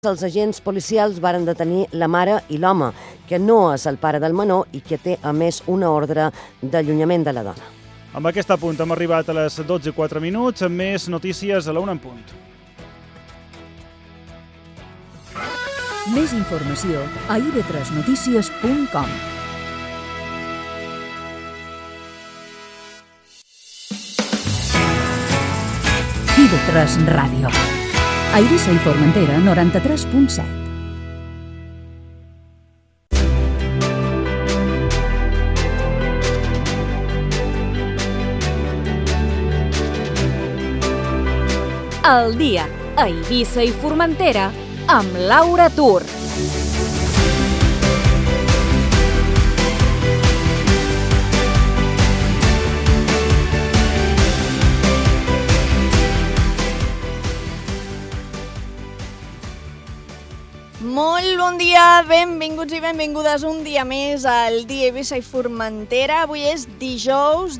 Els agents policials varen detenir la mare i l'home, que no és el pare del menor i que té, a més, una ordre d'allunyament de la dona. Amb aquest apunt hem arribat a les 12:04, amb més notícies a la 1 en punt. Més informació a ib3notícies.com. IB3 Ràdio. A Eivissa i Formentera, 93.7. El dia a Eivissa i Formentera amb Laura Tur. Molt bon dia, benvinguts i benvingudes un dia més al dia Eivissa i Formentera. Avui és dijous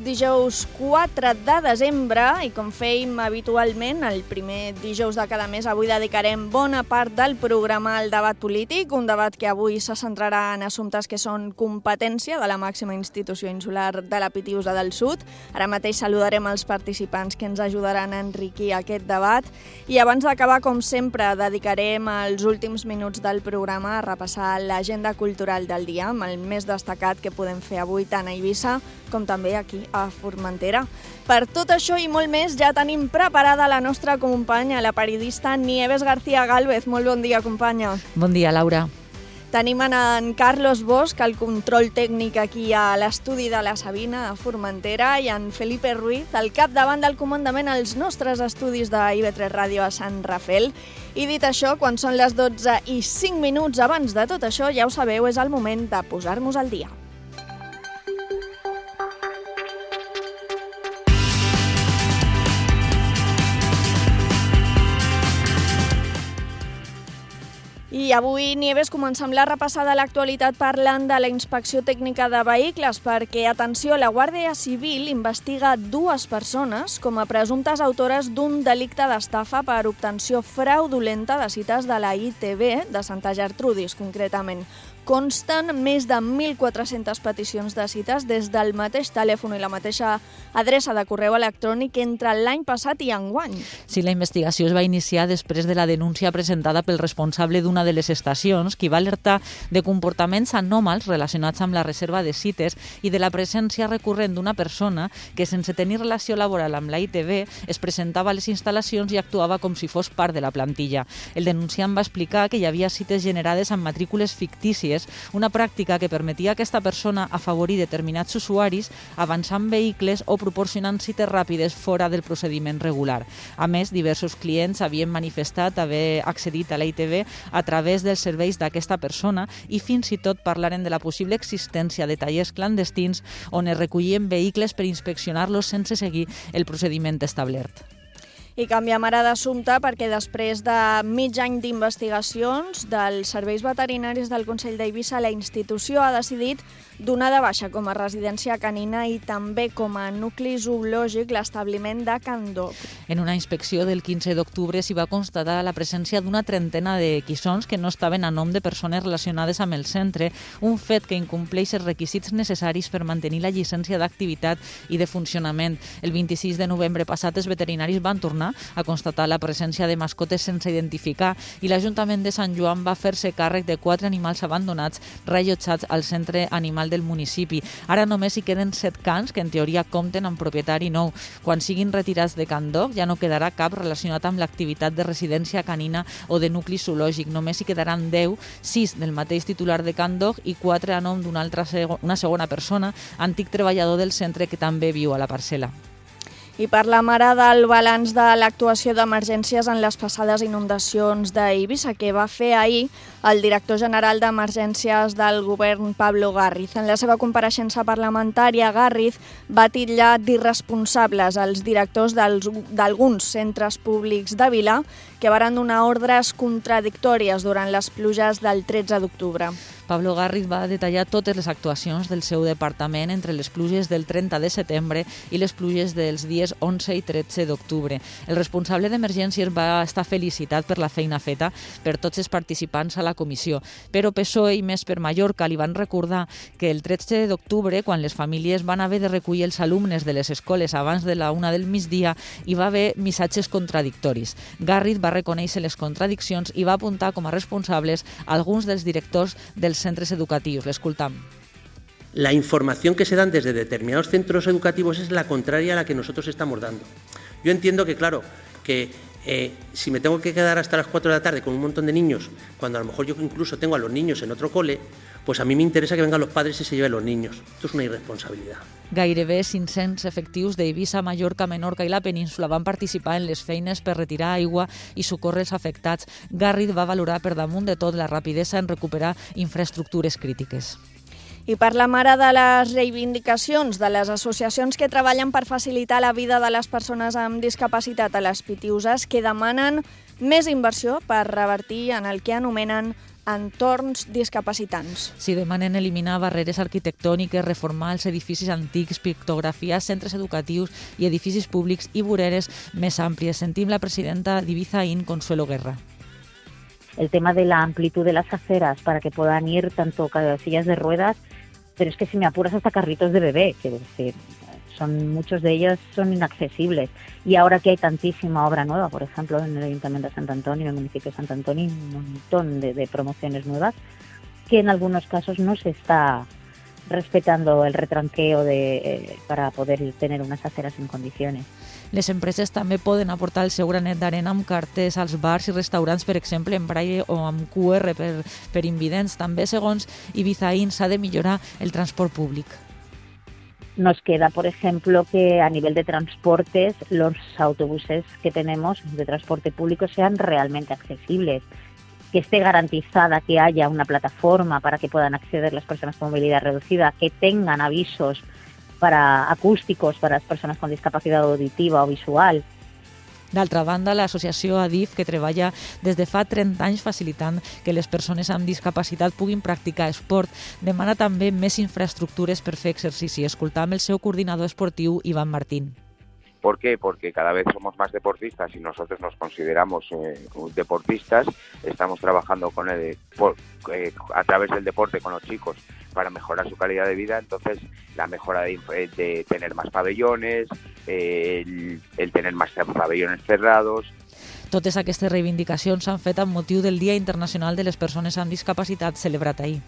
4 de desembre i com fèiem habitualment el primer dijous de cada mes, avui dedicarem bona part del programa al debat polític, un debat que avui se centrarà en assumptes que són competència de la màxima institució insular de la Pitiusa del Sud. Ara mateix saludarem els participants que ens ajudaran a enriquir aquest debat i abans d'acabar, com sempre, dedicarem els últims minuts del programa a repassar l'agenda cultural del dia amb el més destacat que podem fer avui tant a Eivissa com també aquí a Formentera. Per tot això i molt més ja tenim preparada la nostra companya, la periodista Nieves García Gálvez. Molt bon dia, companya. Bon dia, Laura. Tenim en Carlos Bosch, el control tècnic aquí a l'estudi de la Sabina, a Formentera, i en Felipe Ruiz, al capdavant del comandament als nostres estudis de IB3 Ràdio a Sant Rafel. I dit això, quan són les 12:05 abans de tot això, ja ho sabeu, és el moment de posar-nos al dia. I avui, Nieves, comencem la repassada a l'actualitat parlant de la inspecció tècnica de vehicles perquè, atenció, la Guàrdia Civil investiga 2 persones com a presumptes autores d'un delicte d'estafa per obtenció fraudulenta de cites de la ITV de Santa Gertrudis, concretament. Consten més de 1.400 peticions de cites des del mateix telèfon i la mateixa adreça de correu electrònic entre l'any passat i enguany. Sí, la investigació es va iniciar després de la denúncia presentada pel responsable d'una de les estacions, qui va alertar de comportaments anòmals relacionats amb la reserva de cites i de la presència recurrent d'una persona que, sense tenir relació laboral amb la ITV, es presentava a les instal·lacions i actuava com si fos part de la plantilla. El denunciant va explicar que hi havia cites generades amb matrícules fictícies, una pràctica que permetia a aquesta persona afavorir determinats usuaris avançant vehicles o proporcionant cites ràpides fora del procediment regular. A més, diversos clients havien manifestat haver accedit a la ITV a través dels serveis d'aquesta persona i fins i tot parlaren de la possible existència de tallers clandestins on es recollien vehicles per inspeccionar-los sense seguir el procediment establert. I canviem ara d'assumpte perquè després de mig any d'investigacions dels serveis veterinaris del Consell d'Eivissa, la institució ha decidit donar de baixa com a residència canina i també com a nucli zoològic l'establiment de Can Doc. En una inspecció del 15 d'octubre s'hi va constatar la presència d'una trentena de quissons que no estaven a nom de persones relacionades amb el centre, un fet que incompleix els requisits necessaris per mantenir la llicència d'activitat i de funcionament. El 26 de novembre passat els veterinaris van tornar a constatar la presència de mascotes sense identificar i l'Ajuntament de Sant Joan va fer-se càrrec de 4 animals abandonats rellotjats al centre animal del municipi. Ara només hi queden 7 cans que en teoria compten amb propietari nou. Quan siguin retirats de Can Doc ja no quedarà cap relacionat amb l'activitat de residència canina o de nucli zoològic. Només hi quedaran 10, 6 del mateix titular de Can Doc i 4 a nom d'una segona persona, antic treballador del centre que també viu a la parcel·la. I parlem ara del balanç de l'actuació d'emergències en les passades inundacions d'Eivissa, que va fer ahir el director general d'Emergències del govern, Pablo Garriz. En la seva compareixença parlamentària, Garriz va titllar d'irresponsables els directors d'alguns centres públics de Vila que varen donar ordres contradictòries durant les pluges del 13 d'octubre. Pablo Garriz va detallar totes les actuacions del seu departament entre les pluges del 30 de setembre i les pluges dels dies 11 i 13 d'octubre. El responsable d'emergències va estar felicitat per la feina feta per tots els participants a la comissió, però PSOE i Més per Mallorca li van recordar que el 13 d'octubre, quan les famílies van haver de recollir els alumnes de les escoles abans de la 1 del migdia, hi va haver missatges contradictoris. Garriz va reconèixer les contradiccions i va apuntar com a responsables alguns dels directors dels centres educatius. L'escoltam. La información que se dan desde determinados centros educativos es la contraria a la que nosotros estamos dando. Yo entiendo que, claro, que si me tengo que quedar hasta las 4 de la tarde con un montón de niños, cuando a lo mejor yo incluso tengo a los niños en otro cole, pues a mí me interesa que vengan los padres y se lleven los niños. Esto es una irresponsabilidad. Gairebé 500 efectius d'Eivissa, Mallorca, Menorca i la península van participar en les feines per retirar aigua i socórrer els afectats. Garriz va valorar per damunt de tot la rapidesa en recuperar infraestructures crítiques. I parlem ara de les reivindicacions de les associacions que treballen per facilitar la vida de les persones amb discapacitat a les Pitiüses, que demanen més inversió per revertir en el que anomenen entorns discapacitants. Si demanen eliminar barreres arquitectòniques, reformar els edificis antics, pictografiar centres educatius i edificis públics i voreres més àmplies. Sentim la presidenta d'Ibizaín, Consuelo Guerra. El tema de la amplitud de las aceras para que puedan ir tanto sillas de ruedas, pero es que si me apuras hasta carritos de bebé, quiero decir, muchos de ellos son inaccesibles. Y ahora que hay tantísima obra nueva, por ejemplo, en el Ayuntamiento de Sant Antonio, en el municipio de Sant Antonio, un montón de promociones nuevas, que en algunos casos no se está respetando el retranqueo para poder tener unas aceras en condiciones. Les empreses també poden aportar el seu granet d'arena amb cartells als bars i restaurants, per exemple, en braille o amb QR per invidents. També, segons Ibizaín, s'ha de millorar el transport públic. Nos queda, por ejemplo, que a nivel de transportes los autobuses que tenemos de transporte público sean realmente accesibles, que esté garantizada que haya una plataforma para que puedan acceder las personas con movilidad reducida, que tengan avisos acústicos para las personas con discapacidad auditiva o visual. D'altra banda, l'associació ADIF, que treballa des de fa 30 anys facilitant que les persones amb discapacitat puguin practicar esport, demana també més infraestructures per fer exercici. Escoltam el seu coordinador esportiu, Iván Martín. ¿Por qué? Porque cada vez somos más deportistas y nosotros nos consideramos deportistas. Estamos trabajando a través del deporte con los chicos para mejorar su calidad de vida. Entonces, la mejora de tener más pabellones, el tener más pabellones cerrados. Totes aquestes reivindicacions s'han fet amb motiu del Dia Internacional de les Persones amb Discapacitat celebrat ahir.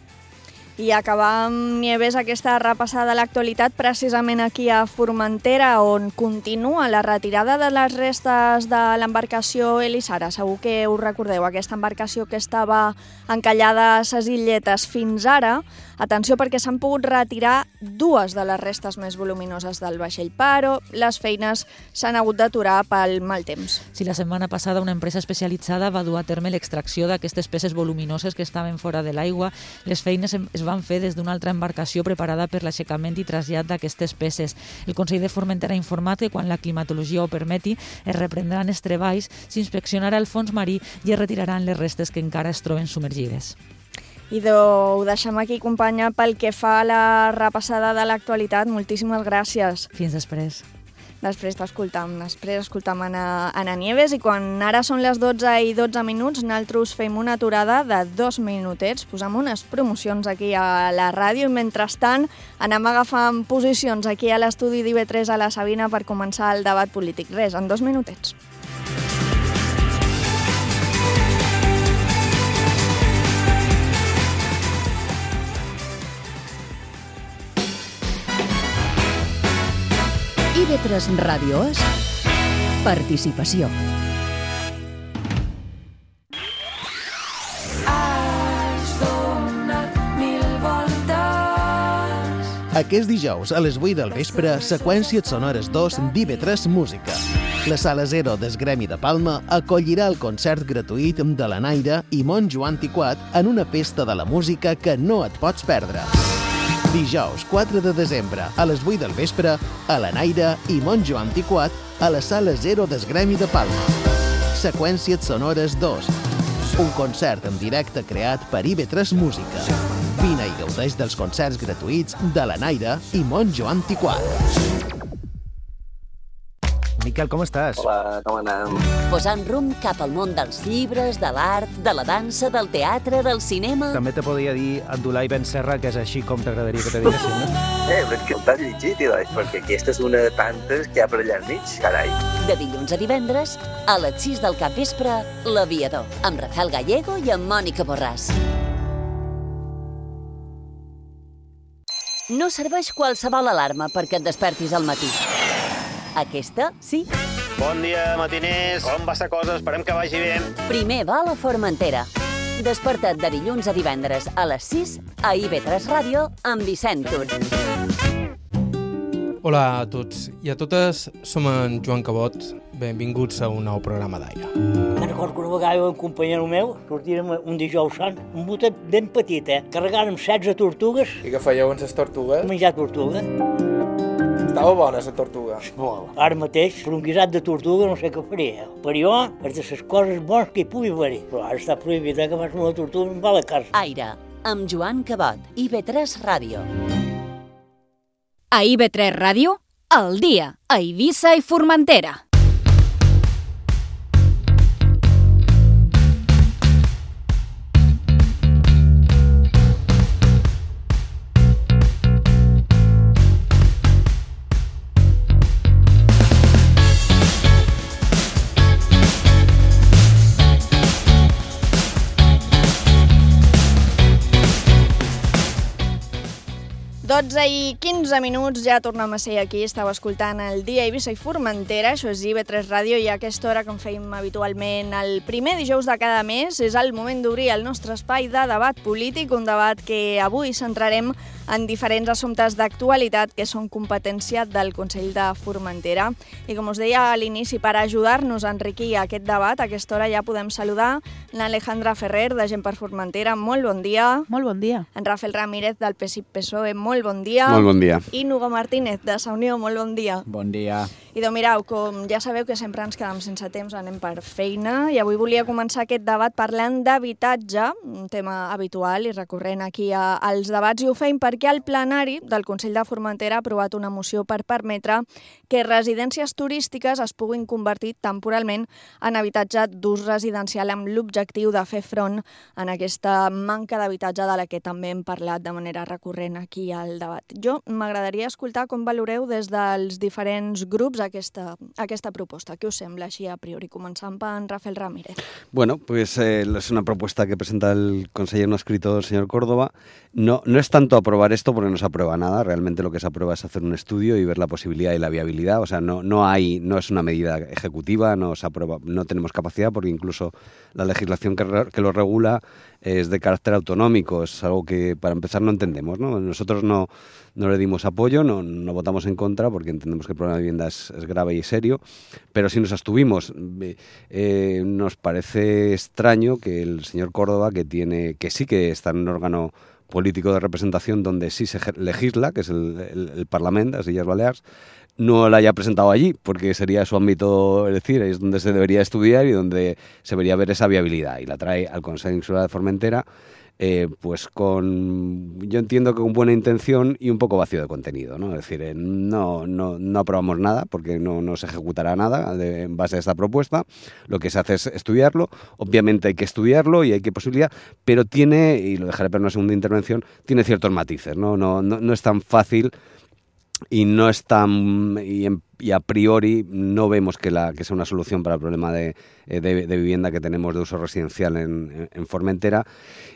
I acabam, Nieves, aquesta repassada de l'actualitat precisament aquí a Formentera, on continua la retirada de les restes de l'embarcació Elisara. Segur que us recordeu, aquesta embarcació que estava encallada a ses illetes fins ara. Atenció, perquè s'han pogut retirar dues de les restes més voluminoses del vaixell, però les feines s'han hagut d'aturar pel mal temps. Si la setmana passada una empresa especialitzada va dur a terme l'extracció d'aquestes peces voluminoses que estaven fora de l'aigua, les feines es van fer des d'una altra embarcació preparada per l'aixecament i trasllat d'aquestes peces. El Consell de Formentera ha informat que quan la climatologia ho permeti es reprendran els treballs, s'inspeccionarà el fons marí i es retiraran les restes que encara es troben submergides. Ho deixem aquí, companya, pel que fa a la repassada de l'actualitat. Moltíssimes gràcies. Fins després. Després escoltam Anna Nieves, i quan ara són les 12:12, nosaltres fem una aturada de 2 minutets, posem unes promocions aquí a la ràdio i mentrestant anem agafant posicions aquí a l'estudi d'IV3 a la Sabina per començar el debat polític. Res, en 2 minutets. IB3 Ràdio és participació. Aquest dijous a les 8 del vespre, Seqüències Sonores 2 d'IB3 Música. La Sala 0 del Gremi de Palma acollirà el concert gratuït de la Naira i Mont Joan Tiquat en una festa de la música que no et pots perdre. Dijous 4 de desembre a les 8 del vespre a la Naira i Mont Joan Tiquat a la Sala 0 del Gremi de Palma. Seqüències Sonores 2, un concert en directe creat per IB3 Música. Vine i gaudeix dels concerts gratuïts de la Naira i Mont Joan Tiquat. Miquel, com estàs? Hola, com anem? Posant rumb cap al món dels llibres, de l'art, de la dansa, del teatre, del cinema... També te podria dir Abdulai Ben Serra, que és així com t'agradaria que te diguessin, no? Però és que el t'has llegit, perquè aquesta és una de tantes que hi ha per allà al mig, carai. De dilluns a divendres, a les 6 del capvespre, L'Aviador, amb Rafael Gallego i amb Mònica Borràs. No serveix qualsevol alarma perquè et despertis al matí. Aquesta, sí. Bon dia, matiners. Com va la cosa? Esperem que vagi bé. Primer va a la Formentera. Desperta't de dilluns a divendres a les 6 a IB3 Ràdio amb Vicent Tur. Hola a tots i a totes, som en Joan Cabot. Benvinguts a un nou programa d'Aire. Me'n recordo que una vegada un companyero meu sortíem un dijous sant, un botet ben petit, carregàrem 16 tortugues. I què fèieu amb les tortugues? Menjar tortuga. Estava bona, la tortuga. Molt. Ara mateix, per un guisat de tortuga no sé què faria. Per jo, és de les coses bones que hi pugui haver. Però ara està prohibit que fas una tortuga i em va a la casa. Aire, amb Joan Cabot, IB3 Ràdio. A IB3 Ràdio, al dia, a Eivissa i Formentera. I 15 minuts, ja tornem a ser aquí. Estava escoltant el Dia a Eivissa i Formentera, això és IB3 Ràdio, i a aquesta hora, com fèiem habitualment el primer dijous de cada mes, és el moment d'obrir el nostre espai de debat polític, un debat que avui centrarem en diferents assumptes d'actualitat que són competència del Consell de Formentera. I com us deia a l'inici, per ajudar-nos a enriquir aquest debat, a aquesta hora ja podem saludar l'Alejandra Ferrer, de Gent per Formentera. Molt bon dia. Molt bon dia. En Rafael Ramírez, del PSIC-PSOE. Molt bon dia. Molt bon dia. I Nugo Martínez, de Sa Unió. Molt bon dia. Bon dia. I doncs mireu, com ja sabeu que sempre ens quedem sense temps, anem per feina, i avui volia començar aquest debat parlant d'habitatge, un tema habitual i recurrent aquí als debats, i ho feim perquè el plenari del Consell de Formentera ha aprovat una moció per permetre que residències turístiques es puguin convertir temporalment en habitatge d'ús residencial amb l'objectiu de fer front en aquesta manca d'habitatge de la que també hem parlat de manera recurrent aquí al debat. Jo m'agradaria escoltar com valoreu des dels diferents grups aquesta proposta. ¿Qué os sembla així a priori? Començant per en Rafael Ramírez. Bueno, pues es una propuesta que presenta el consejero no escrito, el señor Córdoba. No es tanto aprobar esto porque no se aprueba nada. Realmente lo que se aprueba es hacer un estudio y ver la posibilidad y la viabilidad. O sea, no es una medida ejecutiva, no se aprueba, no tenemos capacidad porque incluso la legislación que lo regula es de carácter autonómico. Es algo que para empezar no entendemos, ¿no? Nosotros no le dimos apoyo, no votamos en contra porque entendemos que el problema de vivienda es grave y serio, pero sí nos abstuvimos. Nos parece extraño que el señor Córdoba, que sí que está en un órgano político de representación donde sí se legisla, que es el Parlament de las Illes Balears, no la haya presentado allí, porque sería su ámbito, es decir, es donde se debería estudiar y donde se debería ver esa viabilidad, y la trae al Consejo Insular de Formentera, pues yo entiendo que con buena intención y un poco vacío de contenido, ¿no? Es decir, no aprobamos nada porque no se ejecutará nada en base a esta propuesta. Lo que se hace es estudiarlo. Obviamente hay que estudiarlo y hay que posibilidad, pero tiene, y lo dejaré para una segunda intervención, tiene ciertos matices, ¿no? No es tan fácil y no es tan, y a priori no vemos que sea una solución para el problema de vivienda que tenemos de uso residencial en Formentera,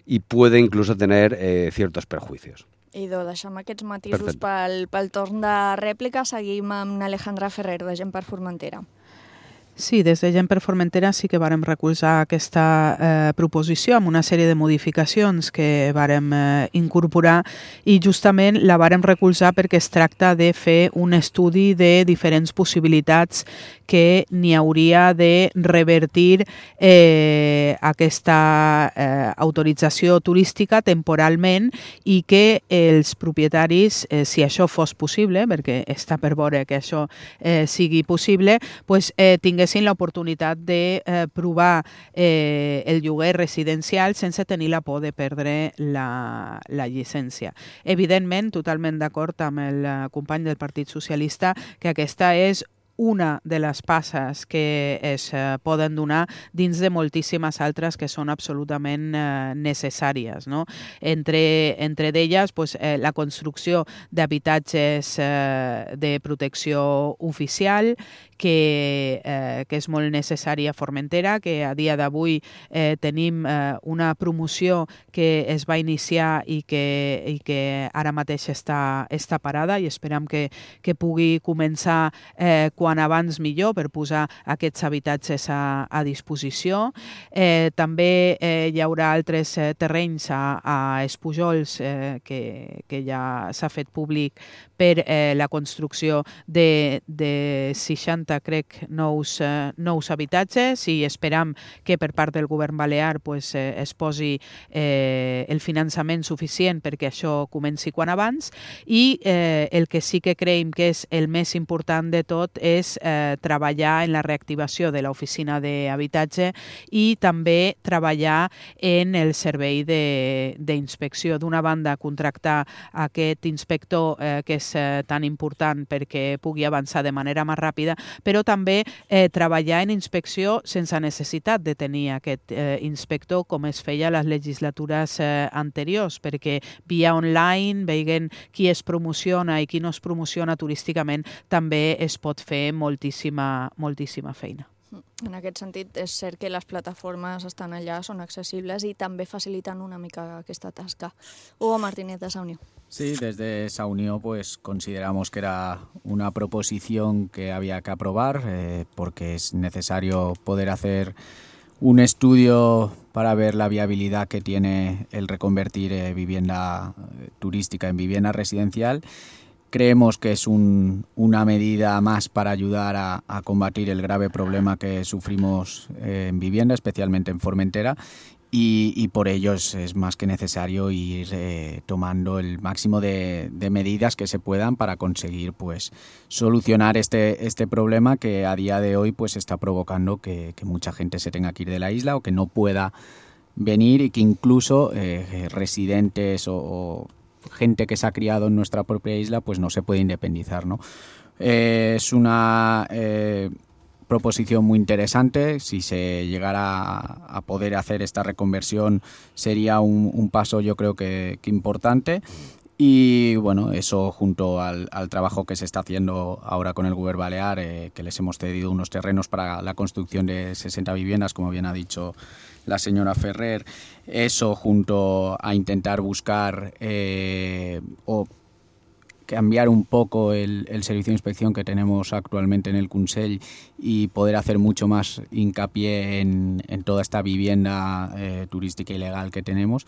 y puede incluso tener ciertos perjuicios. I deixem aquests matisos pel torn de rèplica. Seguim amb Alejandra Ferrer, de Gent per Formentera. Sí, des de Gent per Formentera sí que vàrem recolzar aquesta proposició amb una sèrie de modificacions que vàrem incorporar, i justament la vàrem recolzar perquè es tracta de fer un estudi de diferents possibilitats que n'hi hauria de revertir aquesta autorització turística temporalment, i que els propietaris, si això fos possible, perquè està per veure que això sigui possible, tinguessin tinguessin l'oportunitat de provar el lloguer residencial sense tenir la por de perdre la llicència. Evidentment, totalment d'acord amb el company del Partit Socialista que aquesta és una de les passes que es poden donar dins de moltíssimes altres que són absolutament necessàries. No? Entre d'elles, la construcció d'habitatges de protecció oficial, que és molt necessària a Formentera, que a dia d'avui tenim una promoció que es va iniciar i que ara mateix està parada i esperem que pugui començar quan abans millor per posar aquests habitatges a disposició. També hi haurà altres terrenys a Espujols que ja s'ha fet públic per la construcció de 60, crec, nous habitatges i esperam que per part del govern balear es posi el finançament suficient perquè això comenci quan abans i el que sí que creiem que és el més important de tot és treballar en la reactivació de l'oficina d'habitatge i també treballar en el servei d'inspecció. D'una banda, contractar aquest inspector que és tan important perquè pugui avançar de manera més ràpida, però també treballar en inspecció sense necessitat de tenir aquest inspector com es feia a les legislatures anteriors, perquè via online, veient qui es promociona i qui no es promociona turísticament, també es pot fer moltíssima feina. En aquest sentit, és cert que les plataformes estan allà, són accesibles i també faciliten una mica aquesta tasca. Hugo Martínez, de Saunió. Sí, desde Saunió consideramos que era una proposición que había que aprobar porque es necesario poder hacer un estudio para ver la viabilidad que tiene el reconvertir vivienda turística en vivienda residencial. Creemos que es una medida más para ayudar a combatir el grave problema que sufrimos en vivienda, especialmente en Formentera, y por ello es más que necesario ir tomando el máximo de medidas que se puedan para conseguir solucionar este problema que a día de hoy está provocando que mucha gente se tenga que ir de la isla o que no pueda venir y que incluso residentes o gente que se ha criado en nuestra propia isla no se puede independizar, ¿no? Es una proposición muy interesante. Si se llegara a poder hacer esta reconversión sería un paso, yo creo que importante. Y bueno, eso junto al trabajo que se está haciendo ahora con el Govern Balear, que les hemos cedido unos terrenos para la construcción de 60 viviendas, como bien ha dicho la señora Ferrer, eso junto a intentar buscar o cambiar un poco el servicio de inspección que tenemos actualmente en el Consell y poder hacer mucho más hincapié en toda esta vivienda turística ilegal que tenemos,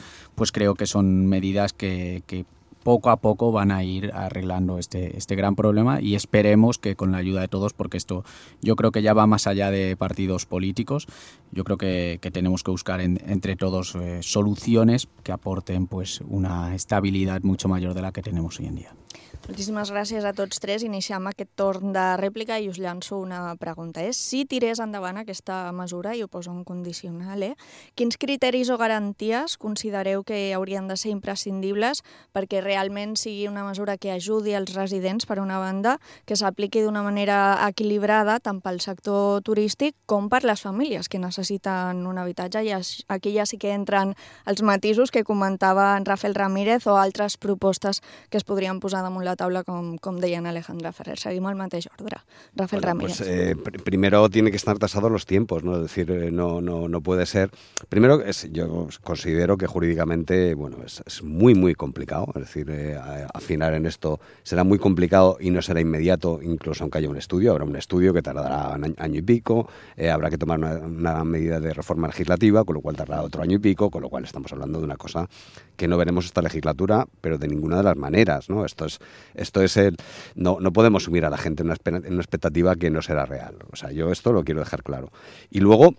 creo que son medidas que poco a poco van a ir arreglando este gran problema y esperemos que con la ayuda de todos, porque esto yo creo que ya va más allá de partidos políticos, yo creo que tenemos que buscar entre todos soluciones que aporten una estabilidad mucho mayor de la que tenemos hoy en día. Moltíssimes gràcies a tots tres. Iniciem aquest torn de rèplica i us llanço una pregunta. Si tirés endavant aquesta mesura, i ho poso en condicional, quins criteris o garanties considereu que haurien de ser imprescindibles perquè realment sigui una mesura que ajudi els residents, per una banda, que s'apliqui d'una manera equilibrada tant pel sector turístic com per les famílies que necessiten un habitatge? I aquí ja sí que entren els matisos que comentava en Rafael Ramírez o altres propostes que es podrien posar damunt la taula, com deia en Alejandra Ferrer. Seguim al mateix ordre. Rafael Ramírez. Primero tiene que estar tasados los tiempos, ¿no? Es decir, no puede ser... Primero, yo considero que jurídicamente, es muy, muy complicado. Es decir, afinar en esto será muy complicado y no será inmediato, incluso aunque haya un estudio. Habrá un estudio que tardará un año y pico, habrá que tomar una medida de reforma legislativa, con lo cual tardará otro año y pico, con lo cual estamos hablando de una cosa que no veremos esta legislatura, pero de ninguna de las maneras, ¿no? Esto es no podemos sumir a la gente en una expectativa que no será real. O sea, yo esto lo quiero dejar claro. Y luego,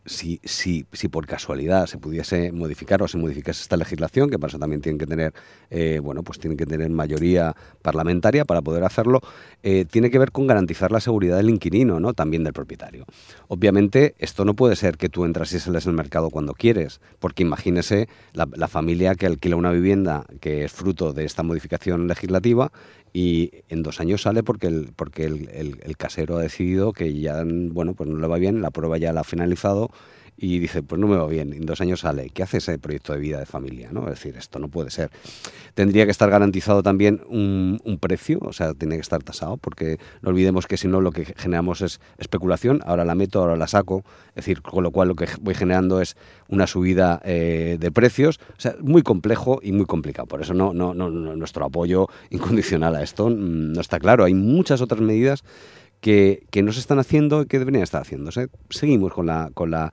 si por casualidad se pudiese modificar o se modificase esta legislación, que para eso también tienen que tener, tienen que tener mayoría parlamentaria para poder hacerlo, tiene que ver con garantizar la seguridad del inquilino, ¿no? También del propietario. Obviamente, esto no puede ser que tú entras y sales al mercado cuando quieres, porque imagínese la familia que alquila una vivienda que es fruto de esta modificación legislativa y en 2 años sale porque el casero ha decidido que ya, pues no le va bien, la prueba ya la ha finalizado y dice, pues no me va bien, en 2 años sale. ¿Qué hace ese proyecto de vida de familia, ¿no? Es decir, esto no puede ser. Tendría que estar garantizado también un precio, o sea, tiene que estar tasado, porque no olvidemos que si no lo que generamos es especulación, ahora la meto, ahora la saco, es decir, con lo cual lo que voy generando es una subida de precios, o sea, muy complejo y muy complicado. Por eso nuestro apoyo incondicional a esto no está claro. Hay muchas otras medidas que no se están haciendo y que deberían estar haciéndose. Seguimos con la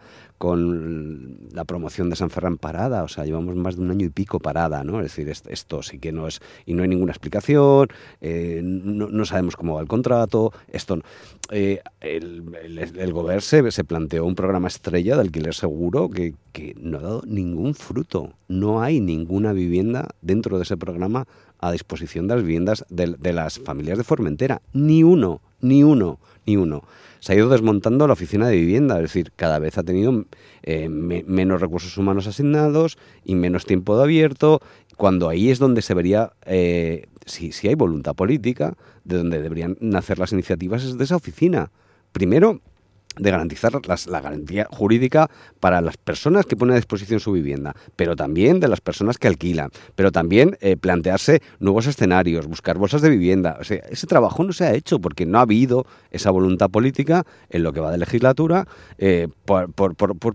promoción de San Ferran parada, o sea, llevamos más de 1 año y pico parada, ¿no? Es decir, esto sí que no es, y no hay ninguna explicación, no sabemos cómo va el contrato, esto no. El Govern se planteó un programa estrella de alquiler seguro que no ha dado ningún fruto. No hay ninguna vivienda dentro de ese programa a disposición de las viviendas de las familias de Formentera. Ni uno. Se ha ido desmontando la oficina de vivienda, es decir, cada vez ha tenido menos recursos humanos asignados y menos tiempo de abierto, cuando ahí es donde se vería, si hay voluntad política, de donde deberían nacer las iniciativas es de esa oficina. Primero, de garantizar la garantía jurídica para las personas que ponen a disposición su vivienda, pero también de las personas que alquilan, pero también plantearse nuevos escenarios, buscar bolsas de vivienda. O sea, ese trabajo no se ha hecho porque no ha habido esa voluntad política en lo que va de legislatura por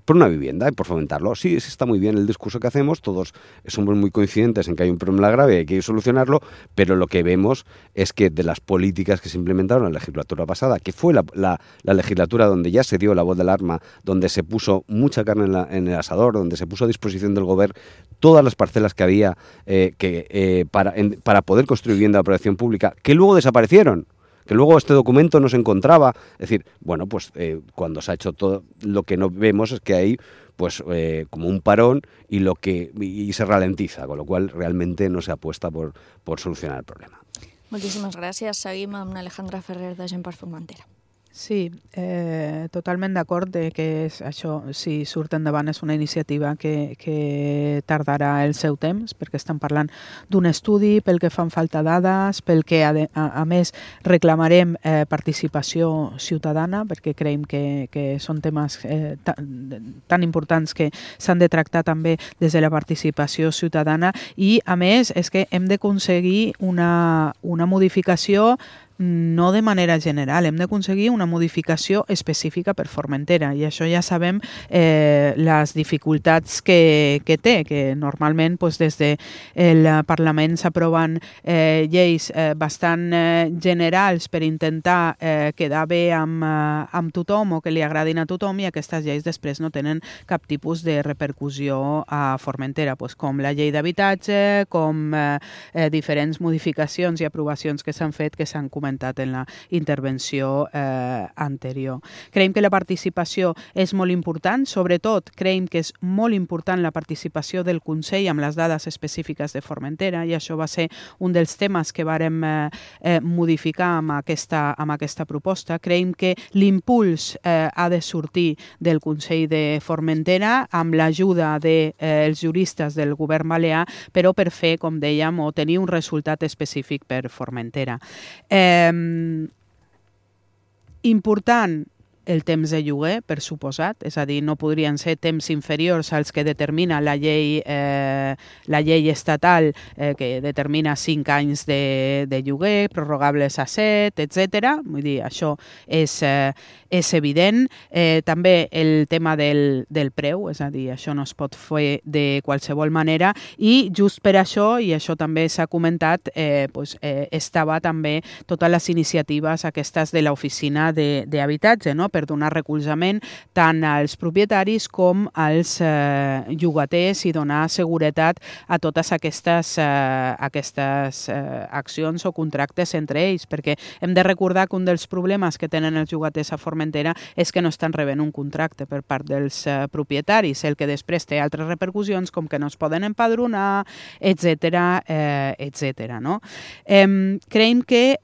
una vivienda y por fomentarlo. Sí, está muy bien el discurso que hacemos, todos somos muy coincidentes en que hay un problema grave y hay que solucionarlo, pero lo que vemos es que de las políticas que se implementaron en la legislatura pasada, que fue la legislatura donde ya se dio la voz del alarma, donde se puso mucha carne en el asador, donde se puso a disposición del Govern todas las parcelas que había para poder construir vivienda de protección pública, que luego desaparecieron, que luego este documento no se encontraba. Es decir, cuando se ha hecho todo, lo que no vemos es que hay como un parón y se ralentiza, con lo cual realmente no se apuesta por solucionar el problema. Moltíssimes gràcies. Seguim amb Alejandra Ferrer de Gent per Formentera. Sí, totalment d'acord que això, si surt endavant, és una iniciativa que tardarà el seu temps, perquè estan parlant d'un estudi, pel que fan falta dades, pel que a més reclamarem participació ciutadana, perquè creiem que són temes tan importants que s'han de tractar també des de la participació ciutadana i, a més, és que hem d'aconseguir una modificació no de manera general, hem d'aconseguir una modificació específica per Formentera i això ja sabem les dificultats que té, que normalment des del Parlament s'aproven lleis bastant generals per intentar quedar bé amb tothom o que li agradin a tothom i aquestes lleis després no tenen cap tipus de repercussió a Formentera, com la llei d'habitatge, com diferents modificacions i aprovacions que s'han fet que s'han comentat en la intervenció anterior. Creiem que la participació és molt important, sobretot creiem que és molt important la participació del Consell amb les dades específiques de Formentera i això va ser un dels temes que vàrem modificar amb aquesta proposta. Creiem que l'impuls ha de sortir del Consell de Formentera amb l'ajuda dels juristes del govern balear, però per fer, com dèiem, o tenir un resultat específic per Formentera. Important el temps de lloguer, per suposat, és a dir, no podrien ser temps inferiors als que determina la llei estatal que determina 5 anys de lloguer, prorrogables a 7, etc. Vull dir, això és evident. També el tema del preu, és a dir, això no es pot fer de qualsevol manera i just per això, i això també s'ha comentat, estava també totes les iniciatives aquestes de l'oficina d'habitatge, no? per donar recolzament tant als propietaris com als llogaters i donar seguretat a totes aquestes accions o contractes entre ells, perquè hem de recordar que un dels problemes que tenen els llogaters a Formentera és que no estan rebent un contracte per part dels propietaris, el que després té altres repercussions com que no es poden empadronar, etc. No? Creiem que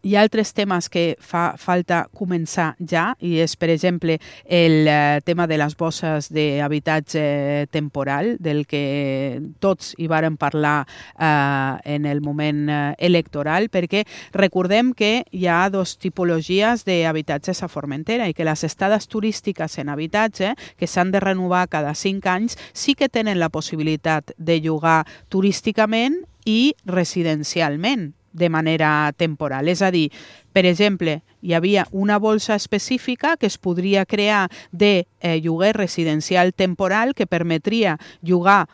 hi ha altres temes que fa falta començar ja, i és, per exemple, el tema de les bosses d'habitatge temporal, del que tots hi vàrem parlar en el moment electoral, perquè recordem que hi ha dues tipologies d'habitatges a Formentera i que les estades turístiques en habitatge, que s'han de renovar cada 5 anys, sí que tenen la possibilitat de llogar turísticament i residencialment, de manera temporal. És a dir, per exemple, hi havia una bolsa específica que es podria crear de lloguer residencial temporal que permetria llogar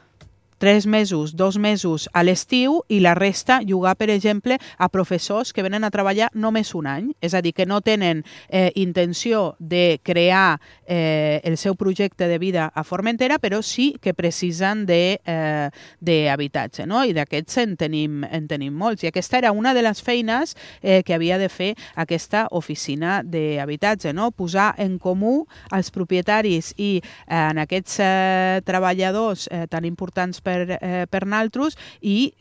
3 mesos, 2 mesos a l'estiu i la resta llogar, per exemple, a professors que venen a treballar només un any. És a dir, que no tenen intenció de crear el seu projecte de vida a Formentera, però sí que precisen d'habitatge, no? I d'aquests en tenim molts. I aquesta era una de les feines que havia de fer aquesta oficina d'habitatge, no? Posar en comú els propietaris i en aquests treballadors tan importants per naltros i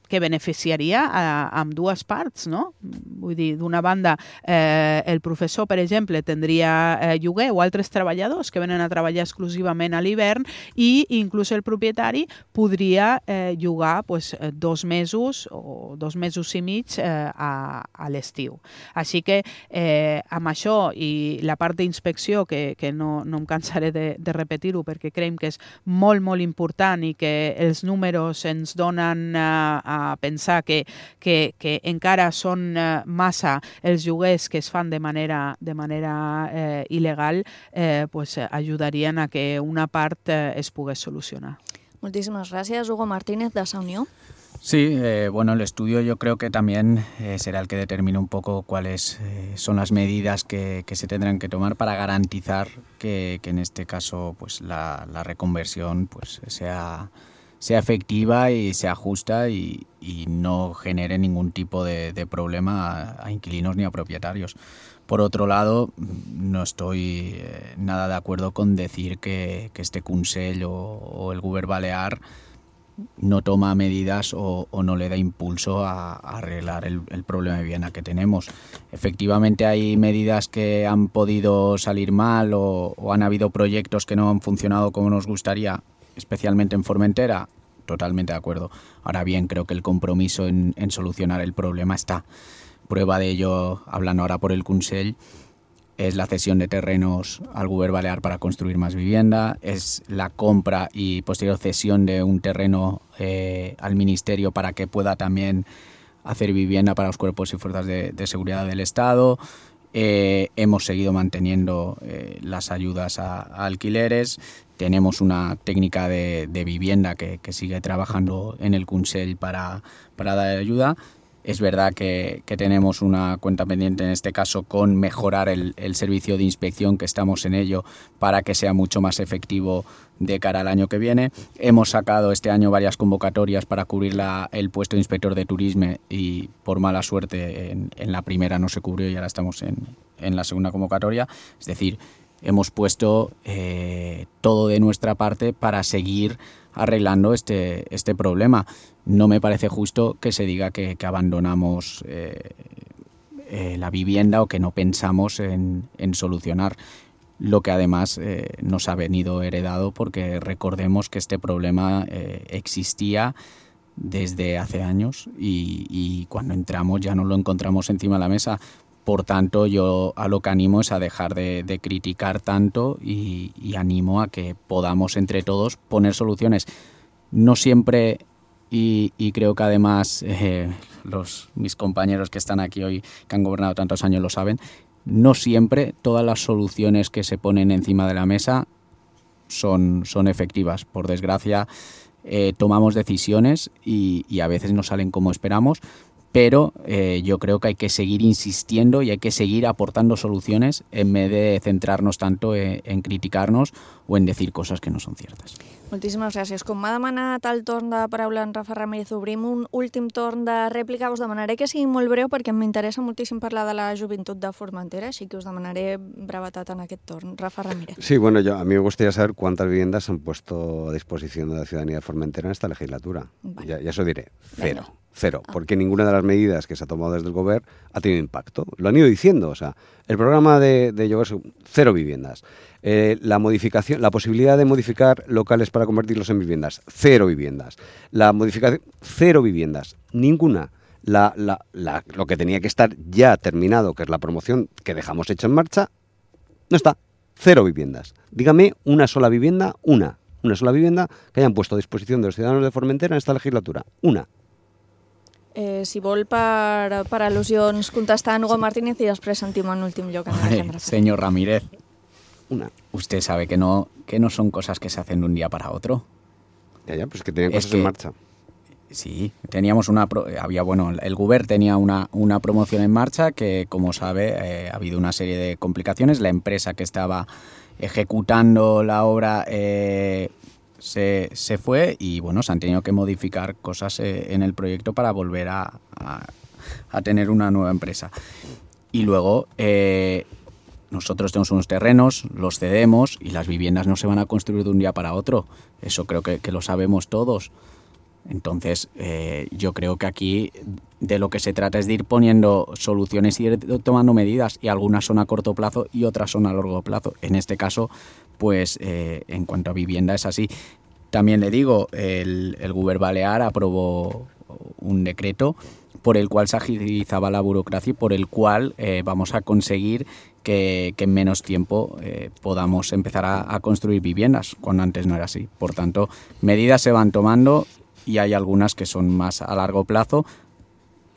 que beneficiaria amb dues parts, no? Vull dir, d'una banda, el professor, per exemple, tindria lloguer o altres treballadors que venen a treballar exclusivament a l'hivern i inclús el propietari podria llogar 2 mesos o 2 mesos i mig a l'estiu. Així que amb això i la part d'inspecció, que no em cansaré de repetir-ho perquè creiem que és molt, molt important i que els números ens donen a pensar que encara són massa els lloguers que es fan de manera il·legal, ajudarien a que una part es pogués solucionar. Moltíssimes gràcies, Hugo Martínez, de Sa Unió. Sí, el estudio yo creo que también será el que determine un poco cuáles son las medidas que se tendrán que tomar para garantizar que en este caso la reconversión sea efectiva y sea justa y no genere ningún tipo de problema a inquilinos ni a propietarios. Por otro lado, no estoy nada de acuerdo con decir que este Consell o el Govern Balear no toma medidas o no le da impulso a arreglar el problema de vivienda que tenemos. Efectivamente hay medidas que han podido salir mal o han habido proyectos que no han funcionado como nos gustaría, especialmente en Formentera. Totalmente de acuerdo. Ahora bien, creo que el compromiso en solucionar el problema está. Prueba de ello, hablando ahora por el Consell, es la cesión de terrenos al Govern Balear para construir más vivienda, es la compra y posterior cesión de un terreno al Ministerio para que pueda también hacer vivienda para los cuerpos y fuerzas de seguridad del Estado. Hemos seguido manteniendo las ayudas a alquileres. Tenemos una técnica de vivienda que sigue trabajando en el Consell para dar ayuda. Es verdad que tenemos una cuenta pendiente en este caso con mejorar el servicio de inspección, que estamos en ello para que sea mucho más efectivo de cara al año que viene. Hemos sacado este año varias convocatorias para cubrir el puesto de inspector de turismo y por mala suerte en la primera no se cubrió y ahora estamos en la segunda convocatoria. Es decir, hemos puesto todo de nuestra parte para seguir arreglando este problema. No me parece justo que se diga que abandonamos la vivienda o que no pensamos en solucionar lo que además nos ha venido heredado, porque recordemos que este problema existía desde hace años y cuando entramos ya no lo encontramos encima de la mesa. Por tanto, yo a lo que animo es a dejar de criticar tanto y animo a que podamos entre todos poner soluciones. No siempre, y creo que además mis compañeros que están aquí hoy, que han gobernado tantos años, lo saben, no siempre todas las soluciones que se ponen encima de la mesa son efectivas. Por desgracia, tomamos decisiones y a veces no salen como esperamos, pero yo creo que hay que seguir insistiendo y hay que seguir aportando soluciones en vez de centrarnos tanto en criticarnos o en decir cosas que no son ciertas. Moltíssimes gràcies. Com m'ha demanat el torn de paraula en Rafa Ramírez, obrim un últim torn de rèplica. Us demanaré que sigui molt breu perquè m'interessa moltíssim parlar de la joventut de Formentera, així que us demanaré brevetat en aquest torn. Rafa Ramírez. Sí, bueno, a mí me gustaría saber cuántas viviendas se han puesto a disposición de la ciudadanía de Formentera en esta legislatura. Vale. Ya eso diré, cero. Venga. Cero, porque ninguna de las medidas que se ha tomado desde el Gobierno ha tenido impacto. Lo han ido diciendo, o sea, el programa de Lloguers, 0 viviendas. La posibilidad de modificar locales para convertirlos en viviendas, 0 viviendas. La modificación, 0 viviendas, ninguna. Lo que tenía que estar ya terminado, que es la promoción que dejamos hecha en marcha, no está, 0 viviendas. Dígame una sola vivienda, una sola vivienda que hayan puesto a disposición de los ciudadanos de Formentera en esta legislatura, una. Si vol per al·lusions contestar a Hugo Martínez y després sentim en últim lloc. Señor Ramírez, usted sabe que no son cosas que se hacen de un día para otro. Ya, pues que tenían cosas en marcha. Sí, teníamos el Gobierno tenía una promoción en marcha que, como sabe, ha habido una serie de complicaciones. La empresa que estaba ejecutando la obra se fue y se han tenido que modificar cosas en el proyecto para volver a tener una nueva empresa. Y luego nosotros tenemos unos terrenos, los cedemos y las viviendas no se van a construir de un día para otro. Eso creo que lo sabemos todos. Entonces, yo creo que aquí de lo que se trata es de ir poniendo soluciones y ir tomando medidas, y algunas son a corto plazo y otras son a largo plazo. En este caso, pues en cuanto a vivienda es así. También le digo, el Gobierno Balear aprobó un decreto por el cual se agilizaba la burocracia y por el cual vamos a conseguir que en menos tiempo podamos empezar a construir viviendas, cuando antes no era así. Por tanto, medidas se van tomando y hay algunas que son más a largo plazo.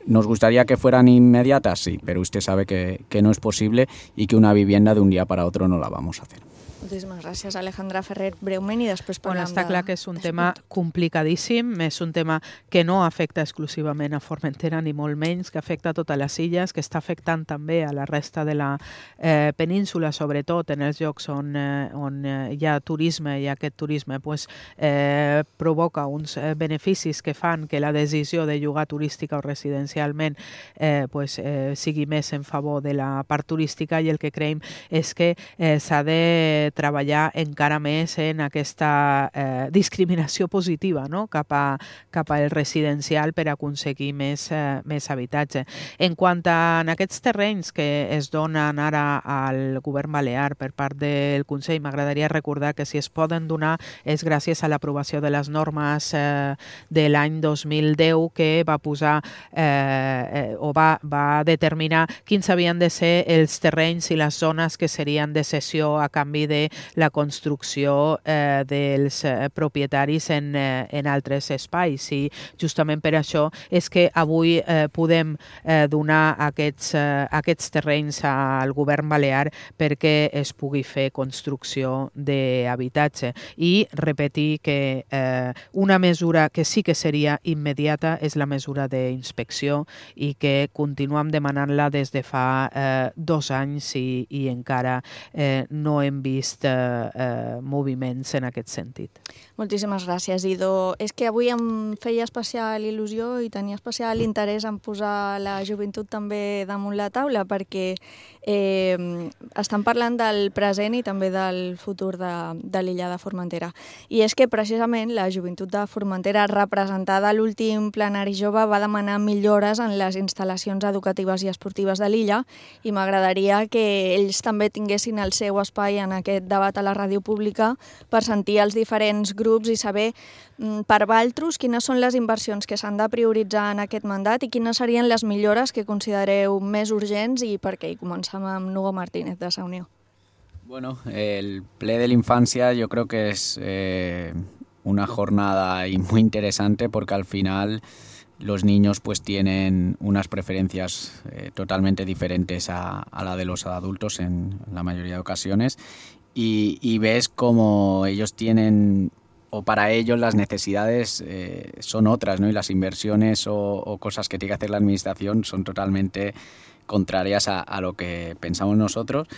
¿Nos gustaría que fueran inmediatas? Sí, pero usted sabe que no es posible y que una vivienda de un día para otro no la vamos a hacer. Moltíssimes gràcies, Alejandra Ferrer, breument, i després parlem està clar que és un tema complicadíssim, és un tema que no afecta exclusivament a Formentera, ni molt menys, que afecta a totes les illes, que està afectant també a la resta de la península, sobretot en els llocs on hi ha turisme, i aquest turisme provoca uns beneficis que fan que la decisió de llogar turística o residencialment sigui més en favor de la part turística, i el que creiem és que s'ha de treballar encara més en aquesta discriminació positiva, no? cap al residencial per aconseguir més habitatge. En quant a aquests terrenys que es donen ara al Govern Balear per part del Consell, m'agradaria recordar que si es poden donar és gràcies a l'aprovació de les normes de l'any 2010 que va posar o va determinar quins havien de ser els terrenys i les zones que serien de cessió a canvi de la construcció dels propietaris en altres espais, i justament per això és que avui podem donar aquests terrenys al Govern Balear perquè es pugui fer construcció d'habitatge. I repetir que una mesura que sí que seria immediata és la mesura d'inspecció, i que continuem demanant-la des de fa 2 anys i encara no hem vist moviments en aquest sentit. Moltíssimes gràcies, Ido. És que avui em feia especial il·lusió i tenia especial interès en posar la joventut també damunt la taula, perquè estan parlant del present i també del futur de l'illa de Formentera. I és que precisament la joventut de Formentera, representada a l'últim plenari jove, va demanar millores en les instal·lacions educatives i esportives de l'illa, i m'agradaria que ells també tinguessin el seu espai en aquest debat a la ràdio pública per sentir els diferents grups i saber per valtros quines són les inversions que s'han de prioritzar en aquest mandat i quines serien les millores que considereu més urgents i per què. I comencem amb Hugo Martínez, de Sa Unió. Bueno, el ple de la infancia yo creo que es una jornada muy interesante, porque al final los niños pues tienen unas preferencias totalmente diferentes a la de los adultos en la mayoría de ocasiones, y ves como ellos tienen o para ellos las necesidades son otras, ¿no? Y las inversiones o cosas que tiene que hacer la administración son totalmente contrarias a lo que pensamos nosotros.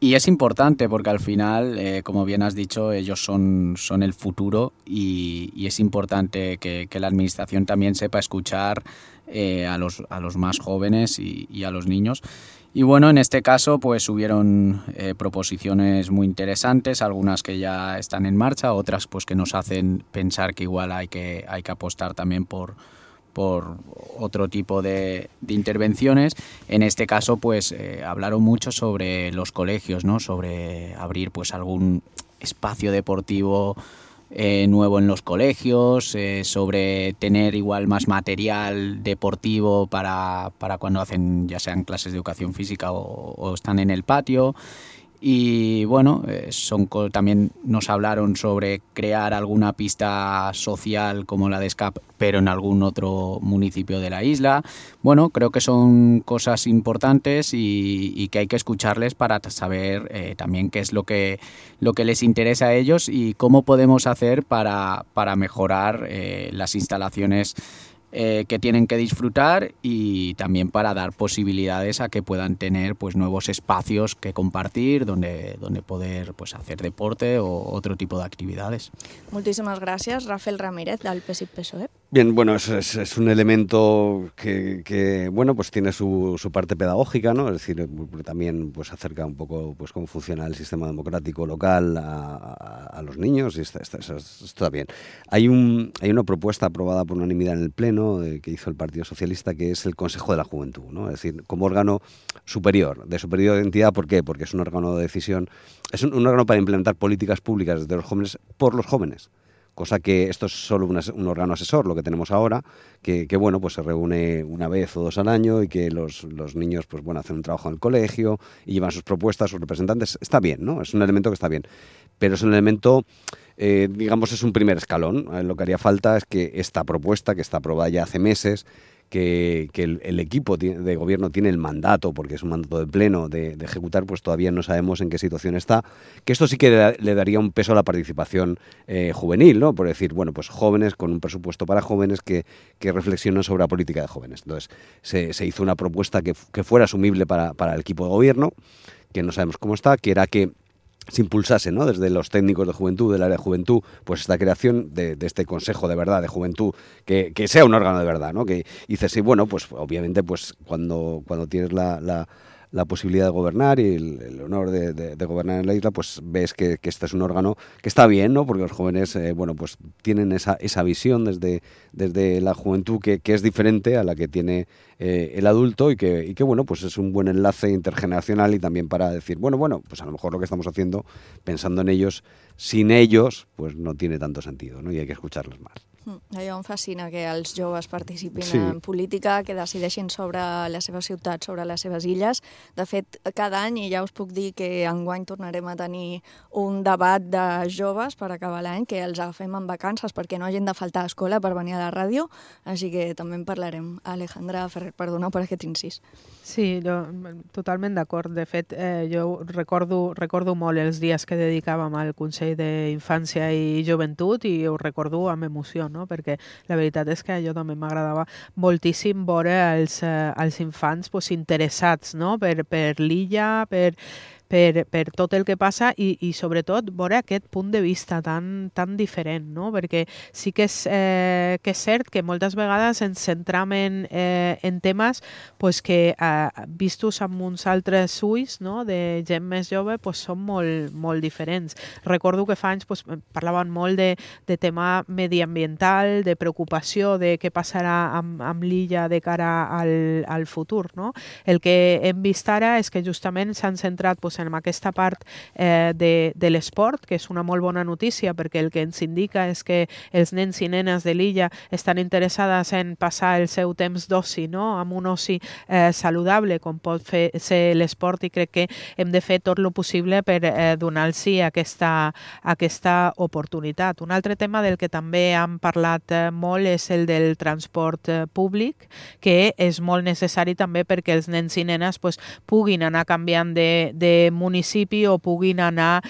Y es importante porque al final, como bien has dicho, ellos son el futuro y es importante que la administración también sepa escuchar a los más jóvenes y a los niños. Y bueno, en este caso pues hubieron proposiciones muy interesantes, algunas que ya están en marcha, otras pues que nos hacen pensar que igual hay que apostar también por otro tipo de intervenciones. En este caso, pues hablaron mucho sobre los colegios, ¿no? Sobre abrir pues algún espacio deportivo nuevo en los colegios, sobre tener igual más material deportivo para cuando hacen ya sean clases de educación física o están en el patio. Y bueno, también nos hablaron sobre crear alguna pista social como la de SCAP, pero en algún otro municipio de la isla. Bueno, creo que son cosas importantes y que hay que escucharles para saber también qué es lo que les interesa a ellos y cómo podemos hacer para mejorar las instalaciones que tienen que disfrutar y también para dar posibilidades a que puedan tener pues nuevos espacios que compartir donde poder pues hacer deporte o otro tipo de actividades. Moltíssimes gràcies, Rafael Ramírez, del PSIC-PSOE. Bien, bueno, es un elemento que bueno, pues tiene su parte pedagógica, ¿no? Es decir, también pues acerca un poco pues cómo funciona el sistema democrático local a los niños y está bien. Hay una propuesta aprobada por unanimidad en el Pleno que hizo el Partido Socialista, que es el Consejo de la Juventud, ¿no? Es decir, como órgano superior, de superior entidad. ¿Por qué? Porque es un órgano de decisión, es un órgano para implementar políticas públicas de los jóvenes por los jóvenes. Cosa que esto es solo un órgano asesor, lo que tenemos ahora, que bueno, pues se reúne una vez o dos al año y que los niños pues bueno, hacen un trabajo en el colegio y llevan sus propuestas, sus representantes. Está bien, ¿no? Es un elemento que está bien. Pero es un elemento, digamos, es un primer escalón. Lo que haría falta es que esta propuesta, que está aprobada ya hace meses, que el equipo de gobierno tiene el mandato, porque es un mandato de pleno, de ejecutar, pues todavía no sabemos en qué situación está, que esto sí que le daría un peso a la participación juvenil, ¿no? Por decir, bueno, pues jóvenes con un presupuesto para jóvenes que reflexionan sobre la política de jóvenes. Entonces, se hizo una propuesta que fuera asumible para el equipo de gobierno, que no sabemos cómo está, que era que se impulsase, ¿no? Desde los técnicos de juventud, del área de juventud, pues esta creación de este Consejo de Verdad de Juventud, que sea un órgano de verdad, ¿no? Que dices, sí, bueno, pues obviamente pues cuando tienes la posibilidad de gobernar y el honor de gobernar en la isla, pues ves que este es un órgano que está bien, ¿no? Porque los jóvenes, bueno, pues tienen esa visión desde la juventud que es diferente a la que tiene el adulto y que bueno, pues es un buen enlace intergeneracional y también para decir, bueno, pues a lo mejor lo que estamos haciendo, pensando en ellos, sin ellos, pues no tiene tanto sentido, ¿no? Y hay que escucharlos más. Allò em fascina que els joves participin Sí. en política, que decideixin sobre la seva ciutat, sobre les seves illes. De fet, cada any, i ja us puc dir que enguany tornarem a tenir un debat de joves per acabar l'any, que els agafem en vacances perquè no hagin de faltar a escola per venir a la ràdio, així que també en parlarem. Alejandra Ferrer, perdona per aquest incís. Sí, jo totalment d'acord. De fet, jo recordo molt els dies que dedicàvem al Consell d'Infància i Joventut i ho recordo amb emoció, no? Perquè la veritat és que a jo també m'agradava moltíssim veure els infants pues, interessats, no? per l'illa, per tot el que passa i sobretot veure aquest punt de vista tan diferent, no? Perquè sí que és cert que moltes vegades ens centram en temes pues, que vistos amb uns altres ulls, no? De gent més jove pues, són molt diferents. Recordo que fa anys pues, parlaven molt de tema mediambiental, de preocupació de què passarà amb l'illa de cara al futur, no? El que hem vist ara és que justament s'han centrat pues, en aquesta part de l'esport, que és una molt bona notícia perquè el que ens indica és que els nens i nenes de l'illa estan interessades en passar el seu temps d'oci, no? Amb un oci saludable com pot ser l'esport i crec que hem de fer tot el possible per donar-los aquesta oportunitat. Un altre tema del que també han parlat molt és el del transport públic, que és molt necessari també perquè els nens i nenes pues, puguin anar canviant de municipi o puguin anar